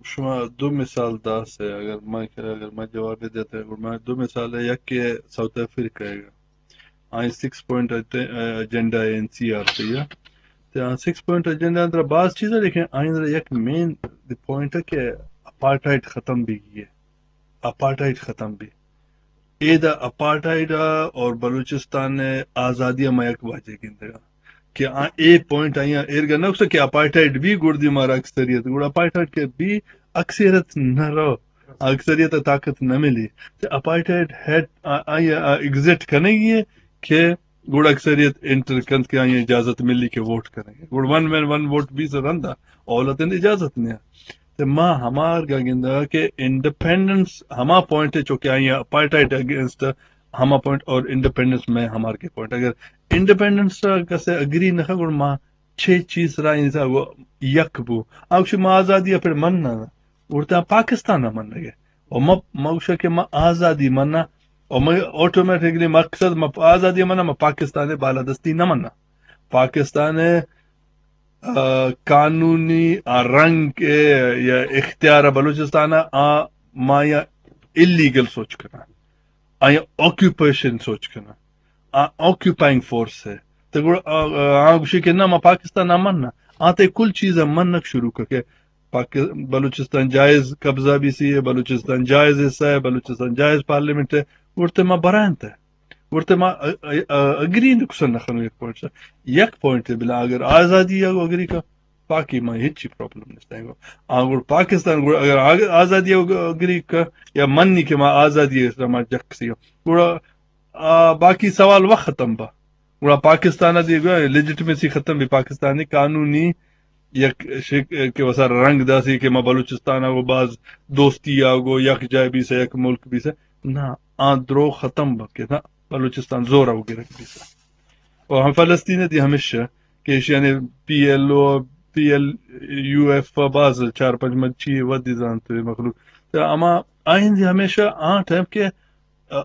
شما دو مثال داسے، اگر ما، اگر ما جواب دیتے، گڑا ما دو مثال ہے، یک کہ ساؤتھ افریقہ ہے، آئی سکس پوائنٹ ایجنڈا ہے این سی آر پی ہے۔ تو آ سکس پوائنٹ ایجنڈا اندر باز چیز ہے، لیکن آئی اندر یک مین پوائنٹ ہے کہ اپارٹائڈ ختم بھی ہے، اپارٹائڈ ختم بھی۔ اے دا اپارٹائڈ اور بلوچستان آزادی ما یک واجہ گندگا کہ آ اے پوائنٹ آئی ایرگا نہ کہ اپارٹائڈ بھی گڑدی مارا اکثریت، گڑا اپارٹائڈ کے بھی اکثریت نہ رو، اکثریت طاقت نہ ملی۔ تے اپارٹائڈ ہے، آ، آئی ایگزٹ کنگی ہے کہ گڑا اکثریت انٹر کنت کہ آئی اجازت ملی کہ ووٹ کنگی۔ گڑا ون مین ون ووٹ بھی سے رندا، اولتن اجازت نہیں۔ تے ما ہمارگا گندگا کہ انڈیپینڈنس ہما پوائنٹ ہے چونکہ آئی اپارٹائڈ اگینسٹ ہما پوائنٹ اور انڈیپینڈنس میں ہمارگے پوائنٹ۔ اگر انڈیپینڈنس کسے اگری نہ گڑا ما چھ چیز را انسا یک بو۔ آ گوشی ما آزادی پھر مننا، گڑا پاکستان منگے۔ اور ما، ما گوشا کہ ما آزادی مننا، اور ما آٹومیٹکلی مقصد ما آزادی مننا، ما پاکستان بالادستی نہ مننا۔ پاکستان آ، قانونی آ رنگ ء یا اختیار ء بلوچستان ء آ ما یا الیگل سوچ کناں، آ یا آکوپیشن سوچ کناں، آ آکوپائنگ فورس ہے۔ تو گڑا آ، آ، آ گوشی کہ نہ، ما پاکستان ء من نہ، آ تے کل چیز ء منک شروع کر کہ پاک-، بلوچستان جائز قبضہ بی سی ہے، بلوچستان جائز حصہ ہے، بلوچستان جائز پارلیمنٹ ہے، گڑتے ما برائنت ہے۔ گڑتے ما ا-، ا-، ا-، اگری نہ کسن نہ خنو یک پوائنٹ سا۔ یک پوائنٹ بلا اگر آزادی ء اگری کا، باقی ما ہچی پرابلم نہیں گو۔ آ گڑ پاکستان گڑ اگر آگ-، آزادی ء اگری کا یا منی کہ ما آزادی ء سرا ما جک سی گڑا، آ، باقی سوال وقت ختم با۔ گڑا پاکستان ء دی گو لیجیٹمیسی ختم بھی، پاکستانی قانونی یک شک-، کہ وسا رنگ داسی کہ ما بلوچستان ء گو باز دوستی ء گو یک جائے بیسا، یک ملک بیسا۔ نہ، آ درو ختم بکے نہ، بلوچستان زور ء گرک بیسا۔ اور ہم فلسطین دی ہمیشہ کہ ایشی یعنی پی ایل او، پی ایل یو ایف باز چار پنچ مچی ودی زانت مخلوق۔ تو اما آئندی ہمیشہ آ ٹائم کہ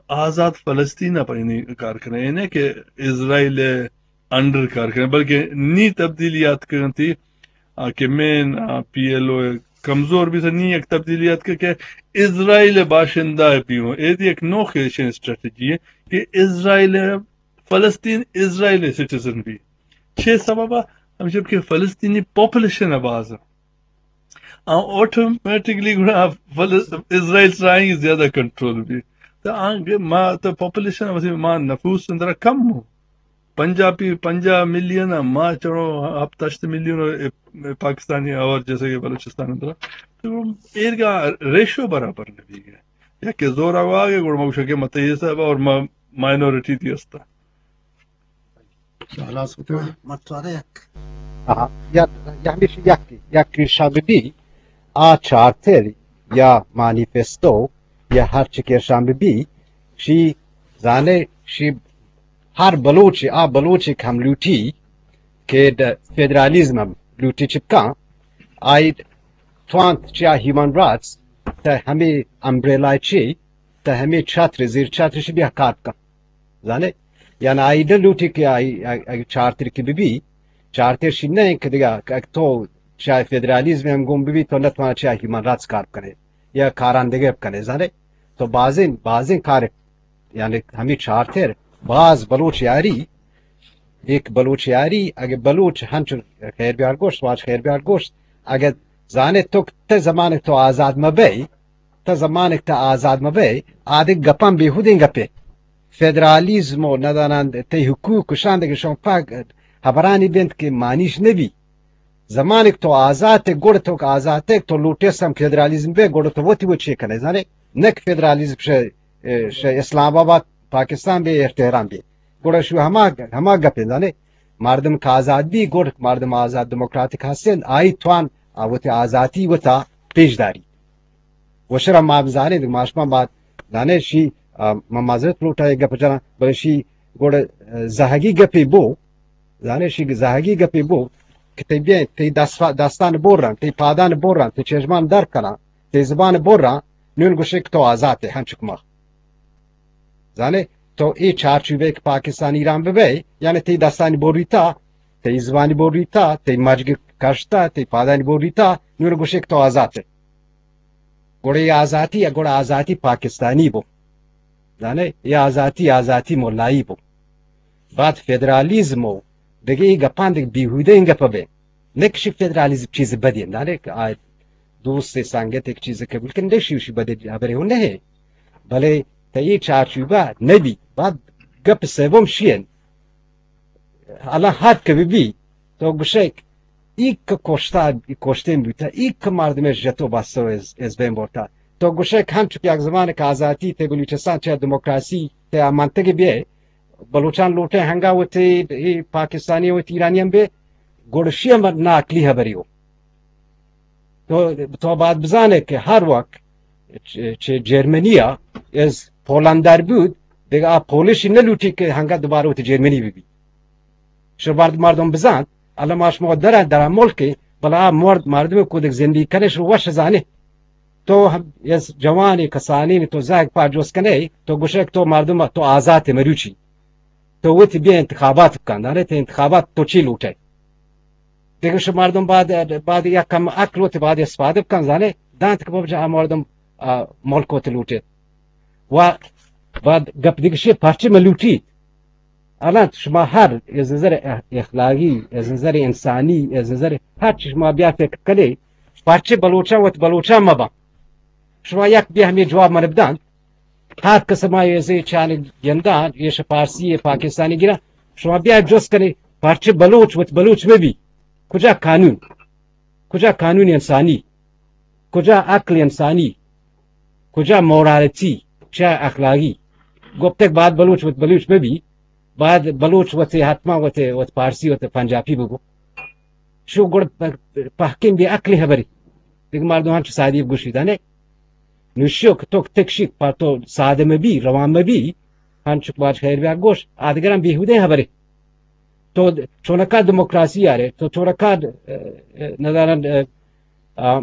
آزاد فلسطین ء پہ نی کار کنیں، اے نہ کہ اسرائیل ء انڈر کار کنیں، بلکہ نی تبدیلی آتکگ انت، آ، کہ مین، آ، پی ایل او ء کمزور بیت، نی یک تبدیلی آتکگ کہ اسرائیل ء باشندہ بی ہوں۔ اے دی یک نوخیں اسٹریٹجی ہے کہ اسرائیل ء، فلسطین اسرائیل ء سٹیزن بی۔ چے سبب ء؟ ہمشی کہ فلسطینی پاپولیشن ء باز آ آٹومیٹکلی گڑا فلس-، اسرائیل سرا آئی زیادہ کنٹرول بی۔ تو آ کہ ما تو پاپولیشن وسی ما نفوس اندرا کم ہو۔ پنجابی پنجاہ ملین ء ما چڑو ہفت ہشت ملین ء پاکستانی اور جیسے کہ بلوچستان اندرا۔ تو ایرگا ریشو برابر نہ بی گئے۔ یا کہ زور آگے گڑا ما گوشاں کہ مت یہ سب اور ما مائنورٹی دی استا۔ خلاص بکن۔ متوارہ یک۔ آہا، یا، یا ہمیش یک، یک شام بی، آ چارتر یا مانیفستو یا ہر چی کہ شام بی، شی زانے، شی ہر بلوچ، آ بلوچ کہ ہم لوٹی کہ د-، فیڈرالیزم ہم لوٹی چپکاں، آئی توانت چیا ہیومن رائٹس تا ہمیں امبریلا چی، تا ہمیں چھتر، زیر چھتر شی بیا کار کن۔ زانے؟ یعنی آئی نہ لوٹی کہ آئی، آئی، آئی چارتر کی بی بی، چارتر شی نہ کہ دگہ کہ تو چاہے فیڈرالیزم ہم گم بی بی، تو نہ توانا چاہے ہیومن رائٹس کار کنے یا کاران دگہ کنے، زانے؟ تو بازین، بازین کار، یعنی ہمیں چارتر باز بلوچ یاری، ایک بلوچ یاری، اگہ بلوچ ہنچ خیر بیار گوشت، واج خیر بیار گوشت، اگہ زانے تو تے زمانک تو آزاد مبئی، تا زمانک تا آزاد مبئے، آدگہ گپاں بیہودیں گپے۔ فدرالیزم و ندانان تئی حقوق کشان دگہ شما پاک ہبرانی بنت کہ مانیش نبی۔ زمانک تو آزاد تے، گڑ تو آزاد تے، تو لوٹے سم فدرالیزم بے، گڑ تو وتی وچے کنے زانے۔ نک فدرالیزم شے، شے اسلام آباد، پاکستان بے، تہران بے۔ گڑ شو ہما، ہما گپے زانے۔ مردم کہ آزاد بی، گڑ مردم آزاد دموکراتک ہستن، آئی توان آ وتی آزادی وتا پیش داری۔ و شرا ما بزانیں، ما شما ما زانیں شی، آ، ما معذرت لوٹا یک گپ جناں، بلے شی گڑ، آ، زہگی گپے بو، زانیں شی زہگی گپے بو کہ تئی بیا، تئی دست-، دستان برن، تئی پادان برن، تئی چشمان در کنن، تئی زبان برن، نون گوشے کہ تو آزاد ئے، ہنچک ما۔ زانئے، تو اے چارچوبے کہ پاکستان ایران ببئے، یعنی تئی دستانی بریتا، تئی زبانی بریتا، تئی مجگ کشتا، تئی پادانی بریتا، نون گوشے کہ تو آزاد ئے۔ گڑا اے آزاتی، گڑا آزاتی پاکستانی بو۔ زانے، اے آزاتی، آزاتی ملائی بو۔ بعد فدرالیزم و دگہ اے گپاں دگہ بیہودیں گپ بے۔ نہ کہ شی فدرالیزم چیز بدی، زانے کہ آ دوست سنگت یک چیز قبول کن، نہ شی، شی بدی ہبرے ہوں نہ۔ بلے تئی چارچوبہ نہ بی، بعد گپ سوم شی انت۔ الان ہر کہ بہ بی، تو گوشئے کہ ای کہ کشتا، ای کشتین بوتا، ای کہ مردمے جتو بستو از، از بین برتا۔ تو گوشئے کہ ہنچو کہ یک زمانے کہ آزاتی تے بلوچستان چہ دموکراسی تے آ منطقے بیئے، بلوچان لوٹے ہنگا وتی ای پاکستانی وتی ایرانی ہم بے، گڑشی ہم ناعقلی ہبری ہو۔ تو، تو باید بزانے کہ ہر وقت چہ، چہ جرمنی ء از پولندر بود، دگہ آ پولشی نہ لوٹی کہ ہنگا دوبارہ وتی جرمنی بہ بی۔ شو مرد، مردم بزانت، الان ما شما در، در ملک، بلے آ مرد، مردم کودک زندگی کنے، شو وش زانے۔ تو ہم از جوانی کسانی تو زہگ پا جوست کنے، تو گوشک تو مردم تو آزات مروچی۔ تو وتی بیا انتخابات بکن، دانے تے انتخابات تو چی لوٹے؟ دگہ شو مردم بعد، بعد یک کم عقل وتی بعد استفادہ بکن، زانے دانت کہ بابا جان، آ مردم، آ، ملک وتی لوٹے۔ و بعد گپ دگہ شی پرچے مہ لوٹیت۔ الان شما ہر از نظر اخ-، اخلاقی، از نظر انسانی، از نظر ہر چی شما بیا فکر کنے، پرچے بلوچاں وت بلوچاں مبا۔ شما یک بیا ہمے جواب من بدان۔ ہر کس ما ایزے چانے گندان، ایش پارسی، پاکستانی گران۔ شما بیا جست کنے، پرچے بلوچ وت بلوچ مبی؟ کجا قانون؟ کجا قانون انسانی؟ کجا عقل انسانی؟ کجا مورالٹی؟ چا اخلاقی؟ گپتگ بعد بلوچ وت بلوچ مبی، بعد بلوچ وت حتما وت، وت پارسی وت پنجابی بگو۔ شو گڑ پ-، پہکیں بے عقلی ہبری۔ دگہ مردم ہنچو سادی گوشی دانے۔ نوشیو کہ تو تکشی پہ تو سادہ مبی، روان مبی، ہنچو کہ باج خیر بیا گوش، آدگران بیہودیں ہبری۔ تو چونکا دموکراسی آرے، تو چونکا، اه، اه، نظران، اه، اه،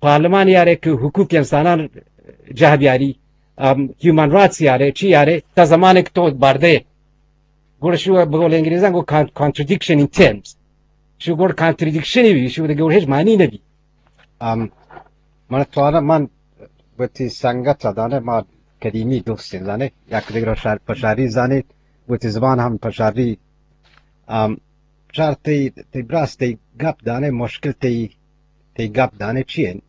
پارلمان آرے کہ حقوق انسانان جہ بیاری، ام، ہیومن رائٹس آرے، چی آرے، تا زمانے کہ تو بردے۔ گڑا شو بقول انگریزان گو کان-، کانٹرڈکشن ان ٹرمز۔ شو گڑا کانٹرڈکشن بی، شو دگہ گڑا ہچ معنی نبی۔ ام، من توانا من وتی سنگت ء دانے، ما قدیمی دوستیں دانے، یک دگر شار پشاری زانے، وتی زبان ہم پشاری۔ ام، شار تئی، تئی براس تئی گپ دانے، مشکل تئی، تئی گپ دانے چی انت؟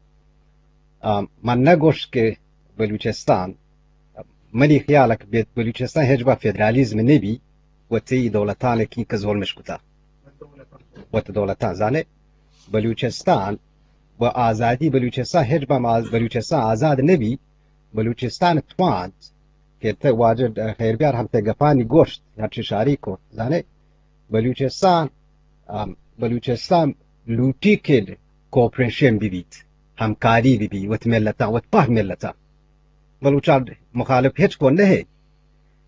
ام، من نہ گوشت کہ بلوچستان، منی خیال ء کہ بلوچستان ہچ با فدرالیزم نہ بی، وتی دولتان کی کہ ظلمش کتا۔ وت دولتان زانے، بلوچستان و آزادی، بلوچستان ہچ با ما-، بلوچستان آزاد نہ بی، بلوچستان توانت کہ تہ واجہ خیر بیار ہم تہ گپانی گوشت، ہرچی شاری کو، زانے، بلوچستان، ام، بلوچستان لوٹی کہ کوپریشن بہ بیت، ہمکاری بہ بی، وت ملتاں، وت پہ ملتاں۔ بلوچان مخالف ہچ کو نہ ہے۔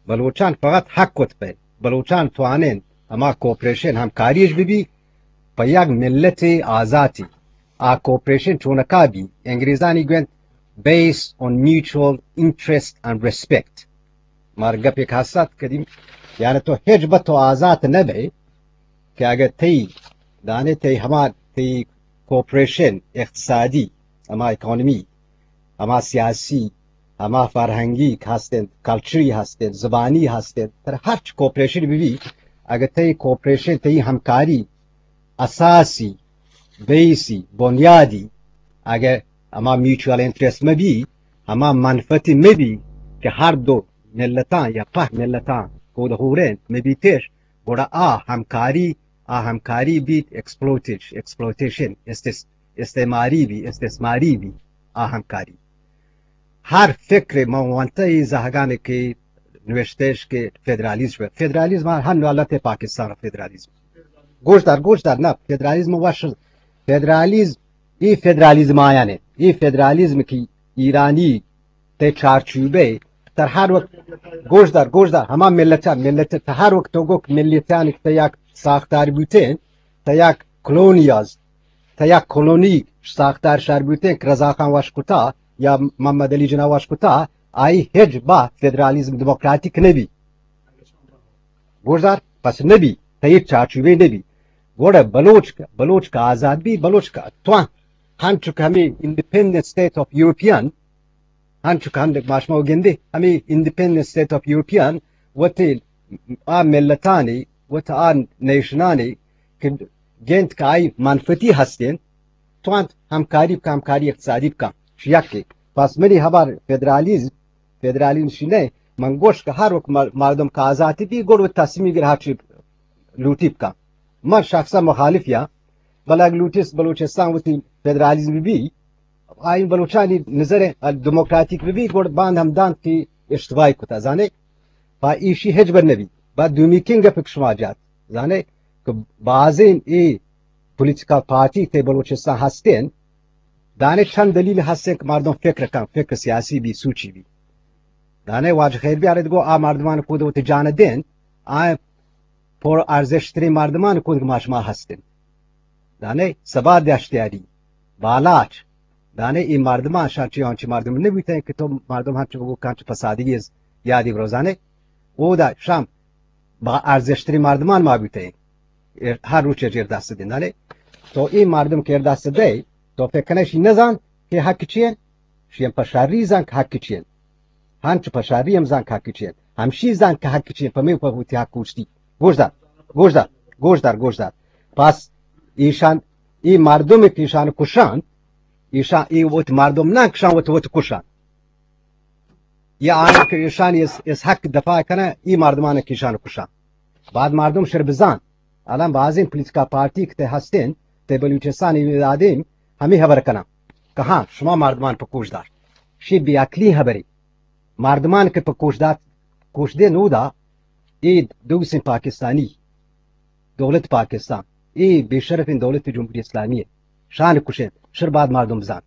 بلوچان فقط حق وت پہ۔ بلوچان توانین ہما کوپریشن ہمکاریش بہ بی، پہ یک ملت آزاتی۔ آ کوپریشن چونکا بی، انگریزانی گوند based on mutual interest and respect۔ مار گپ یک ہست قدیم، یعنی تو ہچ بہ تو آزات نہ بے کہ اگہ تئی، دانے تئی ہما تئی کوپریشن اقتصادی، ہما اکانومی، ہما سیاسی، ہما فرہنگی ہستن، کلچری ہستن، زبانی ہستن، تر ہرچ کوپریشن بہ بی، اگہ تئی کوپریشن، تئی ہمکاری اساسی، بیسی، بنیادی، اگہ ہما میوچوئل انٹرسٹ مہ بی، ہما منفعتی مہ بی کہ ہر دو ملتاں یا پہ ملتاں کود ہورین مہ بیتش، گڑا آ ہمکاری، آ ہمکاری بیت ایکسپلوٹیش-، ایکسپلوٹیشن، استث-، استعماری بی، استثماری بی آ ہمکاری۔ ہر فکر ما وانتہ ای زہگانے کہ نوشتش کہ فدرالیزم، فدرالیزم ہر نوالت پاکستان فدرالیزم۔ گوش دار، گوش دار، نہ، فدرالیزم وش، فدرالیزم، ای فدرالیزم آیانے، ای فدرالیزم کی ایرانی تے چارچوبے، تر ہر وقت، گوش دار، گوش دار، ہما ملت، ملت، تہ ہر وقت تو گو ملتانی تہ یک ساختار بوتین، تہ یک کلونیاز، تہ یک کلونی ساختار شار بوتین کہ رضا خان وش کتا یا محمد علی جناح وش کتا، آئی ہچ با فدرالیزم دموکراتیک نبی۔ گوش دار، پس نبی، تہ یک چارچوبے نبی۔ گوڑا بلوچ، بلوچ کا آزاد بی، بلوچ کا توان، ہنچو کہ ہمیں انڈیپینڈنٹ اسٹیٹ آف یورپین، ہنچو کہ ہند ما شما گندے، ہمے انڈیپینڈنٹ اسٹیٹ آف یورپین وتی آ ملتانی، وت آ نیشنانی کہ گند کہ آئی منفتی ہستین، توانت ہمکاری بکن، ہمکاری اقتصادی بکن. شی یکے. پس منی ہبر فدرالیزم، فدرالیزم شی نہ، من گوش کہ ہر وقت مر-، مردم کہ آزاتی بی، گڑ وت تصمیم گر ہرچی لوٹی بکن. من شخصا مخالف یا، بلے اگہ لوٹیس بلوچستان وتی فدرالیزم بی، آئی بلوچانی نظر دموکراتیک بی، گڑ باند ہم دانت کہ اشتباہی کتا، زانے؟ پا ایشی ہچ بر نبی. با دومی کین گپ شما جات، زانے؟ کہ بازین ای پولیٹیکل پارٹی تے بلوچستان ہستین، دانے چند دلیل ہستین کہ مردم فکر کن، فکر سیاسی بی، سوچی بی. دانے واجہ خیر بیارت گو آ مردمان کود وتی جان دین، آ پر ارزشترین مردمان کود کہ ما شما ہستین. دانے سبا دشتیاری، بالاچ، دانے ای مردمان شان چی آنچی مردم نبیتین کہ تو مردم ہنچو بگو کانچ پسادگی از یادی بروزانے. او دا شام با ارزشترین مردمان ما بیتین. ہر روچ جیر دست دین. دانے تو ای مردم کہ دست دے، تو فکر کنه شی نزان کہ حق چیه؟ شی ہم پشاری زان کہ حق چیه. ہنچ پشاری ہم زان کہ حق چیه. ہمشی زان کہ حق چیه. پمی پہ وتی حق اوشتی. گوش دار، گوش دار، گوش دار، گوش دار. پس ایشان، ای مردم کہ ایشان کشان، ایشان ای وت مردم نہ کشان، وت وت کشان. یا آنی کہ ایشان اس، اس حق دفاع کنه، ای مردمان کہ ایشان کشان. بعد مردم شر بزان. الان بازین پولیٹیکل پارٹی کہ تے ہستین، تے بلوچستان ای دادیم، ہمی خبر کنن کہ ہاں، شما مردمان پہ کوش دار. شی بے عقلی خبری. مردمان کہ پہ کوش دات، کوش دے نودا، ای دوسین پاکستانی، دولت پاکستان، ای بے شرفین دولت جمہوری اسلامی ہے. شان کشین، شر بعد مردم بزان.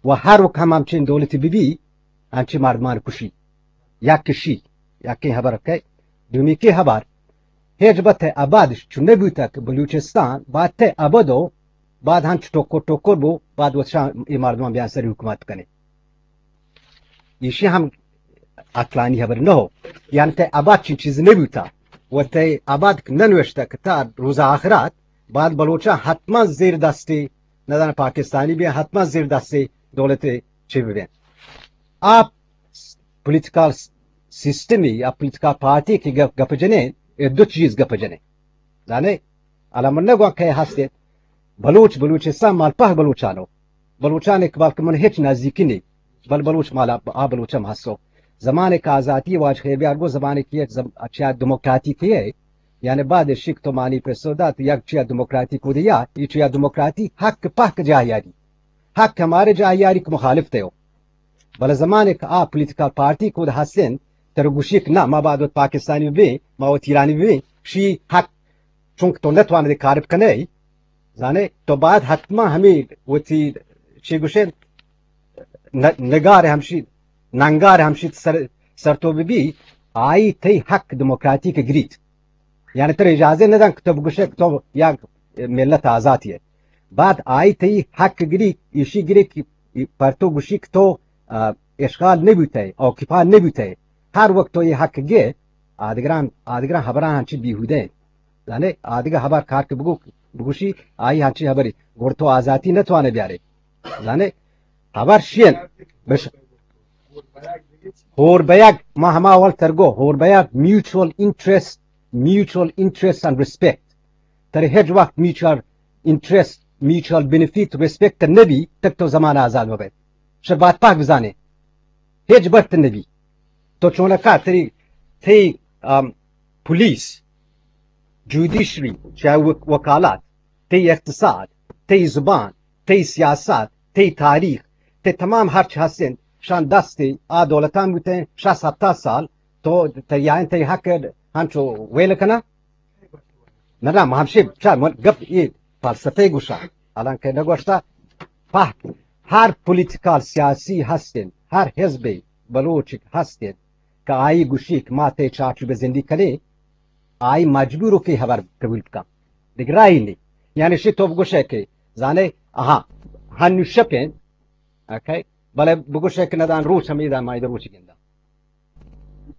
و ہر وقت ہم ہمچین دولت بی بی، انچی مردمان کشی. یک کشی، یکیں خبر کہ دومی کی خبر، ہچ بت ابد چو نبوتا کہ بلوچستان بات ابد و بعد ہنچ ٹکر ٹکر بو، بعد وت شان ای مردمان بیان سری حکومت کنے. ایشی ہم عقلانی خبر نہ ہو. یعنی تے ابد چین چیز نبوتا. و تے ابد ننوشتا کہ تا روز آخرت بعد بلوچان حتما زیر دستی، نہ زاناں پاکستانی بی، حتما زیر دستی دولت چی بی. آپ پولیٹیکل سسٹمی یا پولیٹیکل پارٹی کہ گپ، گپ جنین، اے دو چیز گپ جنین. زانے؟ الان من نگوان کہ ہستیں بلوچ، بلوچستان مال پہ بلوچانو. بلوچان ایک بلکہ من ہچ نزدیکی نی. بل بلوچ مال آ، آ بلوچ ہم ہستو. زمانے کہ آزاتی واجہ خیر بیار گو زمانے کہ یک زم-، اچھا دموکراتی کہ ہے. یعنی بعد شک تو مانی پہ سودا تو یک چیا دموکراتی کو دیا، یہ چیا دموکراتی حق پہ جاہ یاری. حق ہمارے جاہ یاری کہ مخالف تے ہو. بلے زمانے کہ آ پولیٹیکل پارٹی کود ہستن، تر گوشی کہ نہ، ما باید وت پاکستانی بیں، ما وت ایرانی بیں، شی حق، چونکہ تو نتوانے دے کارب کنے، زانے، تو باید حتما ہمیں وتی چی گوشن، ن-، نگار ہمشی، ننگار ہمشی سر، سر تو بی، آئی تئی حق دموکراتی کہ گریت. یعنی ترا اجازہ نہ دنت کہ تو بگوشے کہ تو یک ملت آزاتی ہے. بعد آئی تئی حق گری، ایشی گری کہ پر تو گوشی کہ تو، آ، اشغال نہ بوتے، آکوپا نہ بوتے. ہر وقت تو یہ حق گے، آدگران، آدگران خبران ہنچی بیہودہ ہیں. یعنی آدگہ خبر کار کہ بگو، بگوشی، آئی ہنچی خبری، گڑ تو آزاتی نہ توانے بیارے. زانے، ہبر شین، بش، ہور بیگ، ما ہما اول ترگو، ہور بیگ، میوچول انٹرسٹ، میوچول انٹرسٹ اینڈ ریسپیکٹ. ترے ہچ وقت میوچول انٹرسٹ، میوچول بینیفٹ، ریسپیکٹ نبی، تک تو زمان آزاد مبے. شر بات پاک بزانے. ہچ برت نبی. تو چونکا تری، تئی، ام، پولیس، جوڈیشری، چاہے وک-، وکالات، تئی اقتصاد، تئی زبان، تئی سیاست، تئی تاریخ، تئی تمام ہرچ ہستن، شان دست آ دولتان بوتن، شصت ہپتاد سال، تو تیائن تئی حق ہنچو ویل کنا؟ نہ، نہ، ما ہمشی چار من گپ یہ فلسفہ گوشا، حالانکہ نہ گوشتا، پہ ہر پولیٹیکل سیاسی ہستن، ہر حزب بلوچ ہستن، کہ آئی گوشی کہ ما تئی چارچوب زندگی کنے، آئی مجبور کہ ہبر قبول کن. دگہ راہی نی. یعنی شی تو بگوشے کہ زانے، آہا، ہنو شپیں، اوکے، بلے بگوشے کہ ندان روچ ہمیدا ما ادا روچ گندا.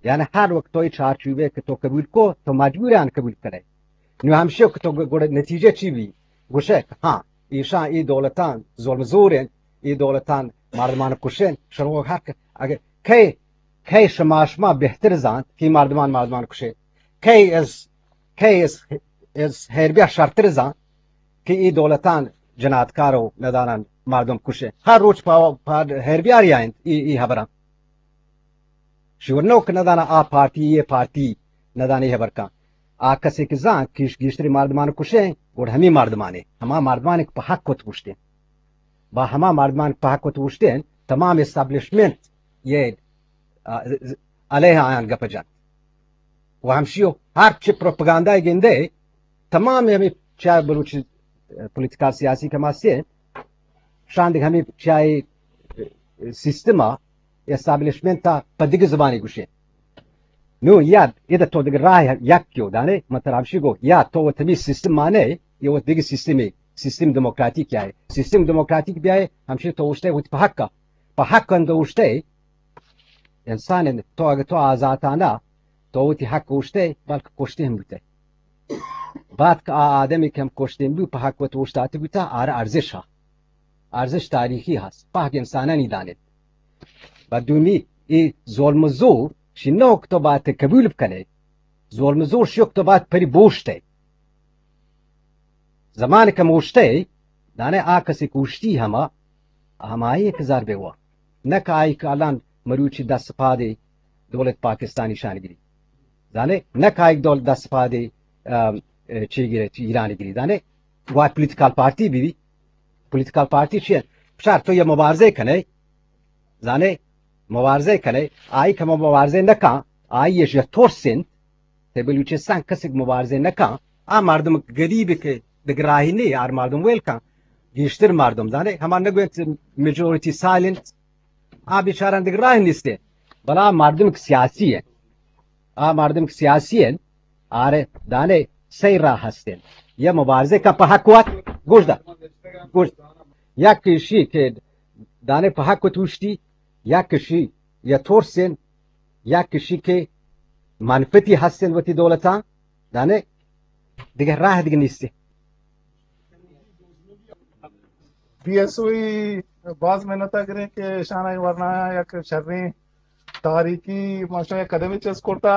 یعنی ہر وقت تو چارچوبے کہ تو قبول کو، تو مجبور آن قبول کنے. نو ہمشی کہ تو گڑ نتیجہ چی بی؟ گوشے کہ ہاں، ایشان ای دولتان ظلم زورن، ای دولتان مردمان کشن، شنو حق اگہ کئے، کئے شما، شما بہتر زانت کہ مردمان، مردمان کشے؟ کئے از، کئے از، از حربیا شرتر زانت کہ ای دولتان جناتکار و ندانان مردم کشے؟ ہر روچ پا، پا حربیاری آئینت ای، ای حبران. شور نوک ندانا آ پارٹی، یہ پارٹی ندانے حبر کن. آ کسے کہ زان کہ گیشتری مردمان کشے، گڑ ہمی مردمانے، ہما مردمان کہ پہ حق وت گوشتین. با ہما مردمان کہ پہ حق وت گوشتین، تمام اسٹیبلشمنٹ یہ، آ، علیہ آیان گپ جنت. و ہمشیو ہر چی پروپاگاندا گندے، تمام ہمیں چاہے بلوچی پولیٹیکل سیاسی کماسے، شان دگہ ہمیں چاہے سیستم ء، اسٹیبلشمنٹ ء پہ دگہ زبانی گوشے. نو یا ادا تو دگہ راہ یک کیو دانے، من ترا ہمشی گو، یا تو وت ہمیں سیستم مانے، یا وت دگہ سیستمی، سیستم دموکراتیک یا ہے. سیستم دموکراتیک بیائے، ہمشی تو اوشتے وت پہ حق ء، پہ حق اند اوشتے، انسان اند، تو اگہ تو آزاتانہ تو وتی حق اوشتے، بلکہ کشتے ہم بوتے. بعد کہ آ آدمی کہ ہم کشتے ہم بو، پہ حق وت اوشتاتے بوتا، آرا ارزش ہا. ارزش تاریخی ہست، پہک انسانانی دانت. و دومی، ای ظلم و زور، شی نوک تو باید قبول بکنے. ظلم و زور شیوک تو باید پری بوشتے. زمان کم اوشتے، دانے آ کسی کوشتی ہما، ہمائی کہ ضربے وا. نہ کہ آئی کہ الان مروچی دست پادے دولت پاکستانی شان گری. زانے؟ نہ کہ آئی دولت دست پادے، ام، چی گرے، چی ایران گری. زانے؟ وا پولیٹیکل پارٹی بی بی. پولیٹیکل پارٹی چی؟ بچار تو یہ مبارزے کنے، زانے؟ مبارزے کنے، آئی کہ مبارزے نہ کن، آئی یہ ترس انت، تے بلوچستان کسک مبارزے نہ کن، آ مردم غریب کہ دگہ راہی نی، آر مردم ویل کن، گیشتر مردم زانے، ہما نگوینت میجورٹی سائلنٹ، آ بیچاران دگہ راہ نیستے، بلا مردم کہ سیاسی ہیں، آ مردم کہ سیاسی ہیں، آرے دانے سہ راہ ہستیں. یا مبارزے کن پہ حق وت، گوش دا، گوش، یک ایشی کہ دانے پہ حق وت اوشتی، یک ایشی یا ترسیں، یک ایشی کہ منفتی ہستیں وتی دولتاں، دانے دگہ راہ دگہ نیستی. بی ایس او ای باز محنت گریں کہ شان ورنا یک شریں تاریخی ماشاء یک قدمے چست کرتا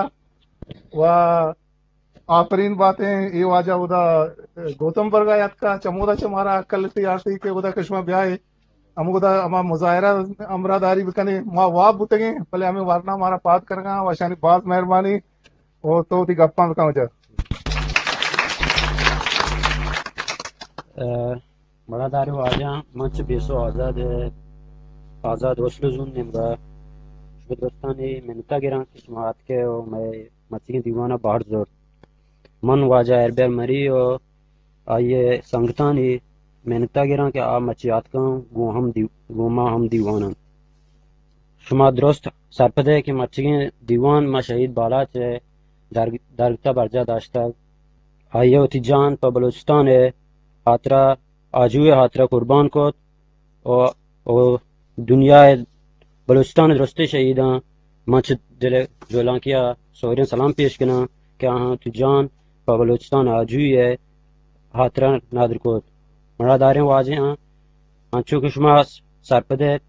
و آفرین باتیں. اے واجہ اودا گوتم برگا یاتکا، چمودا چہ مارا عقل تی آرتی کہ اودا کہ شما بیائے، ہمودا ہما مظاہرہ ہمراہ داری بکنے. ما واب بوتگیں، بلے ہمیں ورنا مارا پاد کرگا و شانی باز مہربانی. او تو وتی گپاں بکن واجہ. ء، مڑاداریں واجہاں، من چہ بیسو آزاد ء، آزاد وسلو زون نیمگا شمئے درستانی منتا گراں کہ شما آتکے و مئے مچگیں دیوانا بہر زرت. من واجہ اربیر مری و آئی ء سنگتانی منتا گراں کہ آ مچی آتکاں گوں ہم دی-، گوں ما ہم دیوان انت. شما درست سرپد ء کہ مچگیں دیوان ما شہید بالاچ ء درگ-، درگت ء برجاہ داشتگ. آئی ء وتی جان پہ بلوچستان ء ہاترا، آجو ء ہاترا قربان کت و، و دنیا ء، بلوچستان ء درستیں شہیداں من چہ دل ء جہلانکی ء سہریں سلام پیش کناں کہ آہاں وتی جان پہ بلوچستان ء آجوئی ء ہاترا ندر کت. مڑاداریں واجہاں، انچو کہ شما سرپد ات،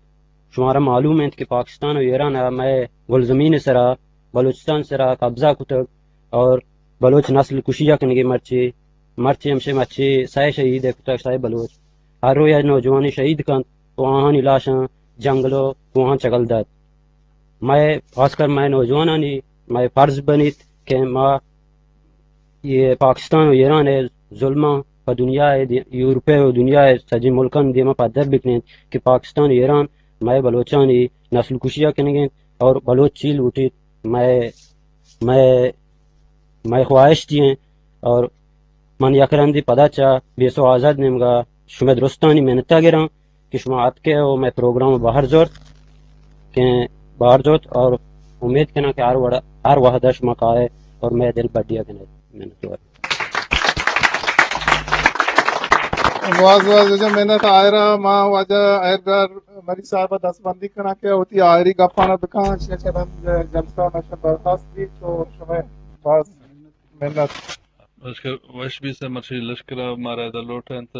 شمارا معلوم انت کہ پاکستان و ایران ء مئے گلزمین ء سرا، بلوچستان ء سرا قبضہ کتگ اور بلوچ نسل کشی ء کنگے مرچی، مرچی ہمشے مرچی سئے شہید ء کتگ، سئے بلوچ. ہر روچ یک نوجوانے شہید کنت و آہانی لاشاں جنگل و کوہاں چگل دات. مئے، خاص کر مئے نوجوانانی مئے فرض بنیت کہ ما یہ پاکستان و ایران ء ظلماں پہ دنیا ء دی-، یورپ ء و دنیا ء سجیں ملکانی دیما پدر بکنیں کہ پاکستان و ایران مئے بلوچانی نسل کشی ء کنگ ء انت اور بلوچ چی لوٹیت، مئے، مئے، مئے خواہش دی انت. اور من یک رندی پدا چہ بیسو آزاد نیمگا شمئے درستانی منتا گراں کہ شما اتکے و مئے پروگرام بہر زرت، کہ بہر زرت اور امید کناں کہ ہر وڑ-، ہر وہدا شما کائے اور مئے دل بڈیا کنے. منتوار. باز باز واجہ منت. آئرا ما واجہ آئرگار مری صاحب دست بندی کناں کہ وتی آئری گپانا بکاں، شیخ رند جلسہ مشن برخاست بیت تو شمئے باز منت. لشکر وش بیت، مرشی لشکر مارا ادا لوٹ انت.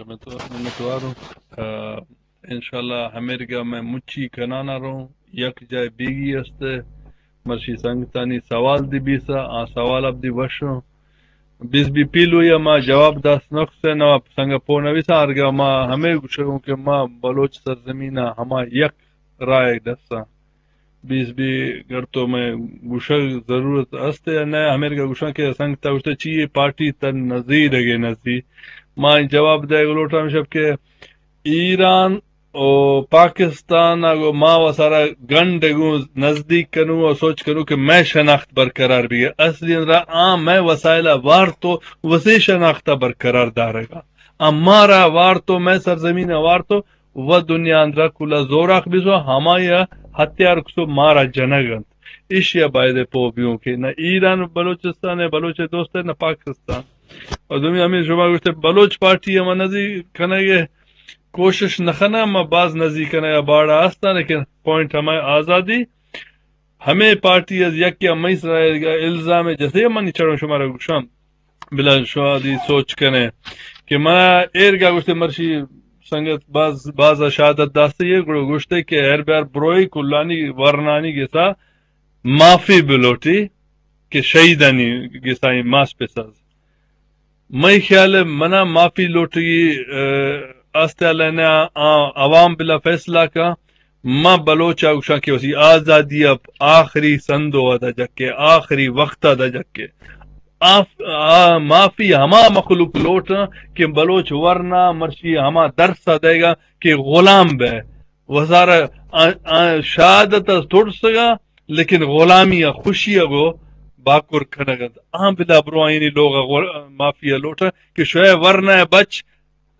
منتوار، منتوار ہوں. آ، انشاءاللہ ہمیرگا میں مچی کنانا رہوں، یک جائے بیگی است، مرشی سنگتانی سوال دی بیسا، آ سوال اب دی وشوں۔ بیس بی پیلو یا ما جواب داس نقص ہے، نوا سنگ پو نویسا، آرگا ما ہمیں گوشگوں کہ ما بلوچ سرزمین ہما یک رائے دسا۔ بیس بی گر تو میں گوشگ ضرورت است یا نہ، ہمیں گوشاں کہ سنگتا گوشتے چی یہ پارٹی تن نزی دگے نزی۔ ما جواب دے گلوٹا ہم شب کہ ایران او پاکستان ء گوں ما و سرا گنڈ ء گوں نزدیک کنوں و سوچ کنوں کہ مئے شناخت برقرار بیگہ۔ اصلی اندرا آ مئے وسائل ء وارت و وسے شناخت ء برقرار دارگا۔ آ مارا وارت و مئے سرزمین ء وارت و و دنیا اندرا کلا زوراخ بیسو، ہمائی ء ہتھیار کسو مارا جنگ انت۔ ایشی ء باید پو بیوں کہ نہ ایران بلوچستان ء بلوچ دوست ء نہ پاکستان۔ اور دومی ہمیں شما گوشتے بلوچ پارٹی ہم نزی کنگ ء کوشش نہ کناں، ما باز نزیک کنگ ء باڑا ہستاں، لیکن پوائنٹ ہمیں آزادی۔ ہمیں پارٹی از یکے ہمیں سرا الزام جسے منی چڑوں شمارا گوشاں، بلا شادی سوچ کنے کہ منا ایرگا گوشتے مرشی سنگت باز، باز شہادت داستے یہ گڑو گوشتے کہ ہر بیار بروئی کلانی ورنانی گسا معافی بلوٹی کہ شہیدانی گسا ماس پساز۔ مئی خیال ء منا معافی لوٹگی، ء، آستے اللہ نے آ، آ، عوام بلا فیصلہ کا۔ ما بلوچ آ گوشاں کہ وسی آزادی ء آخری سندو ء دا جکے، آخری وقت ء دا جکے۔ آف-، آ، معافی ہما مخلوق لوٹ کہ بلوچ ورنا مرشی ہما درس ء دے گا کہ غلام بے۔ وزارہ آ، آ، شہادت ء ترسگا، لیکن غلامی ء خوشی ء گو باکر کنگ انت۔ آ بلا برو آئینی لوگ ء غل-، معافی ء لوٹ کہ شوئے ورنا ء بچ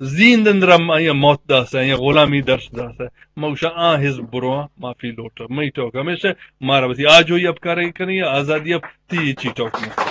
زیند اندر ہم آئی ء موت داسہ، آئی ء غلامی درس داسہ۔ ما گوشاں آ حزب برواں معافی لوٹ۔ مئی ٹوک ہمیشہ مارا وتی آجوئی اب کارے کنی، آزادی اب تی چی ٹوک نہ۔